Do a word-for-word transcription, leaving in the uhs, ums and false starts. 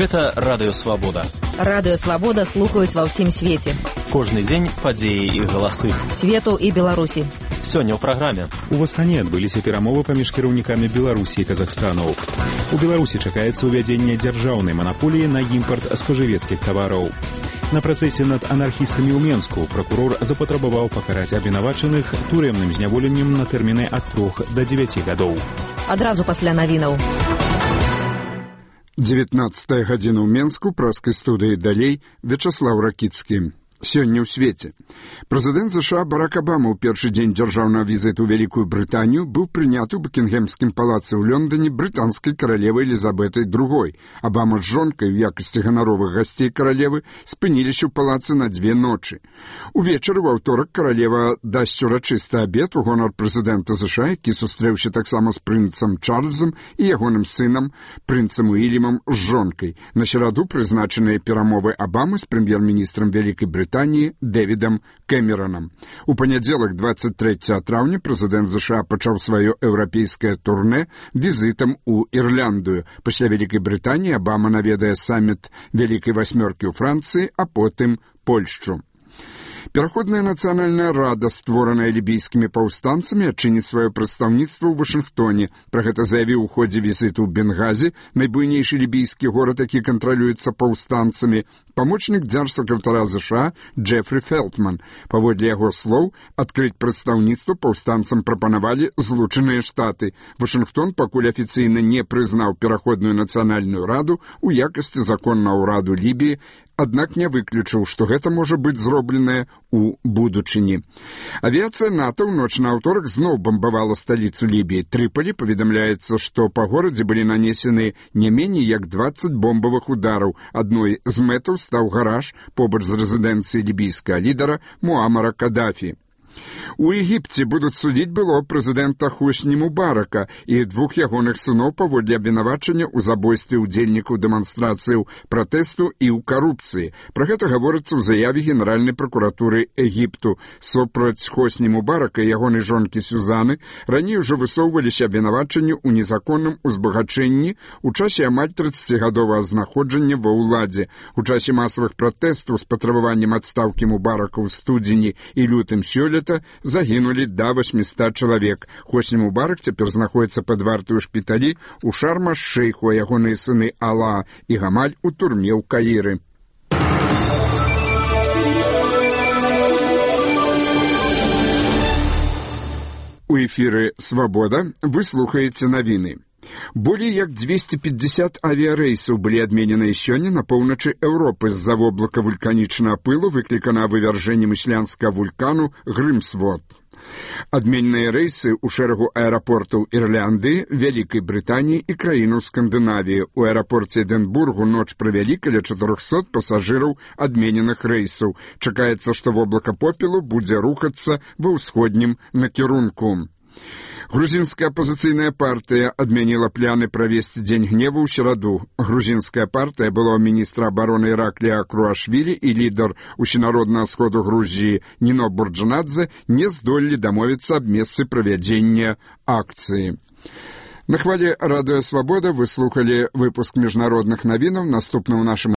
Гэта радыёвабода. Радыёвабода слухаюць ва ўсім свеце. Кожны дзень падзеі і галасы свету і Беларусі. Сёння ў праграме. У Астане адбыліся перамовы паміж кіраўнікамі Беларусі і Казахстану. У Беларусі чакаецца ўвядзенне дзяржаўнай манаполіі на імпарт спажывецкіх тавараў. На працэсе над анархістамі ў Менску пракурор запатрабаваў пакараць абвінавачаных турэмным зняволеннем на тэрміны ад трох да дзевяці гадоў. Адразу пасля навінаў. дзевятнаццатая гадзіна ў Менску, праскай студыі далей, Вячаслаў Ракіцкі. Сёння ў свеце. Прэзідэнт ЗША Барак Абама ў першы дзень дзяржаўнага візіту ў Вялікую Брытанію быў прыняты ў Букінгемскім палацы ў Лондоне брытанскай каралевай Элізабетай другой. Абама з жонкай у якасці ганаровых гасцей каралевы спыніліся ў палацы на дзве ночы. Увечары ў аўторак каралева дасць урачысты абед у гонар прэзідэнта ЗША, які сустрэўся таксама з прынцам Чарльзам і ягоным сынам, прынцам Уільямам з жонкай. На сераду прызначаныя перамовы Абамы з прэм'ер-міністрам Вялікай Брытаніі Дэвідам Кэмеронам. У панядзелак дваццаць трэцяга траўня прэзідэнт ЗША пачаў сваё еўрапейскае турнэ візітам у Ірландыю. Пасля Вялікай Брытаніі Абама наведае саміт Вялікай васьмёркі ў Францыі, а потым Польшчу. Пераходная нацыянальная рада, створаная лібійскімі паўстанцамі, адчыніць сваё прадстаўніцтва ў Вашынгтоне. Пра гэта заявіў у ходзе візіту ў Бенгазі, найбуйнейшы лібійскі горад, які кантралюецца паўстанцамі, памочнік дзяржсакратара ЗША Джефрі Фелтман. Паводле яго слоў, адкрыць прадстаўніцтва паўстанцам прапанавалі Злучаныя Штаты. Вашынгтон пакуль афіцыйна не прызнаў пераходную нацыянальную раду ў якасці законнага ўраду Лібіі, аднак не выключыў, што гэта можа быць зробленае у будучыні. Авіяцыя НАТО ў ноч на аўторак зноў бамбавала сталіцу Лібіі. Трыполі паведамляецца, што па горадзе былі нанесены не меней як дваццаць бомбавых удараў. Адной з мэтаў стаў гараж побач з рэзідэнцыяй лібійскага лідара Муамара Кадафі. У Егіпце будуць судзіць было прэзідэнта Хосні Мубарака і двух ягоных сыноў паводле абвінавачання ў забойстве ўдзельнікаў дэманстрацыяў пратэсту і ў карупцыі. Пра гэта гаворыцца ў заяве Генеральнай пракуратуры Егіпту. Супраць Хосні Мубарака і ягонай жонкі Сюзаны раней ужо высоўваліся абвінавачанні ў незаконным узбагачэнні ў часе амаль трыццацігадовага знаходжання ва ўладзе. У часе масавых пратэстаў з патрабаваннем адстаўкі Мубарака ў студзені і лютым сёлета загінулі да васьмісот чалавек. Хосні Мубарак цяпер знаходіцца пад вартай у шпіталі ў Шарм-аш-Шэйху, а ягоныя сыны Ала і Гамаль у турме ў Каіры. У эфіры «Свабода» вы слухаеце навіны. Болей як дзвесце пятьдесят авіярэйсаў былі адмененыя сёння на поўначы Еўропы з-за воблака вулканічнага пылу, выкліканага вывяржэннем ісландскага вулкану Грымсвот. Адмененыя рэйсы ў шэрагу аэрапортаў Ірландыі, Вялікай Брытаніі і краінаў Скандынавіі. У аэрапорце Эдынбургу ноч правялі каля чатырохсот пасажыраў адмененых рэйсаў. Чакаецца, што воблака попелу будзе рухацца ва ўсходнім накірунку. Грузінская апазіцыйная партыя адмяніла пляны правесці дзень гневу ў сераду. Грузінская партыя былога міністра абароны Іраклія Круашвілі і лідар усенароднага сходу Грузіі Ніно Бурджанадзе не здолелі дамовіцца аб месцы правядзення акцыі. На хвале радыё «Свабода» вы слухалі выпуск міжнародных навінаў. Наступны ў нашым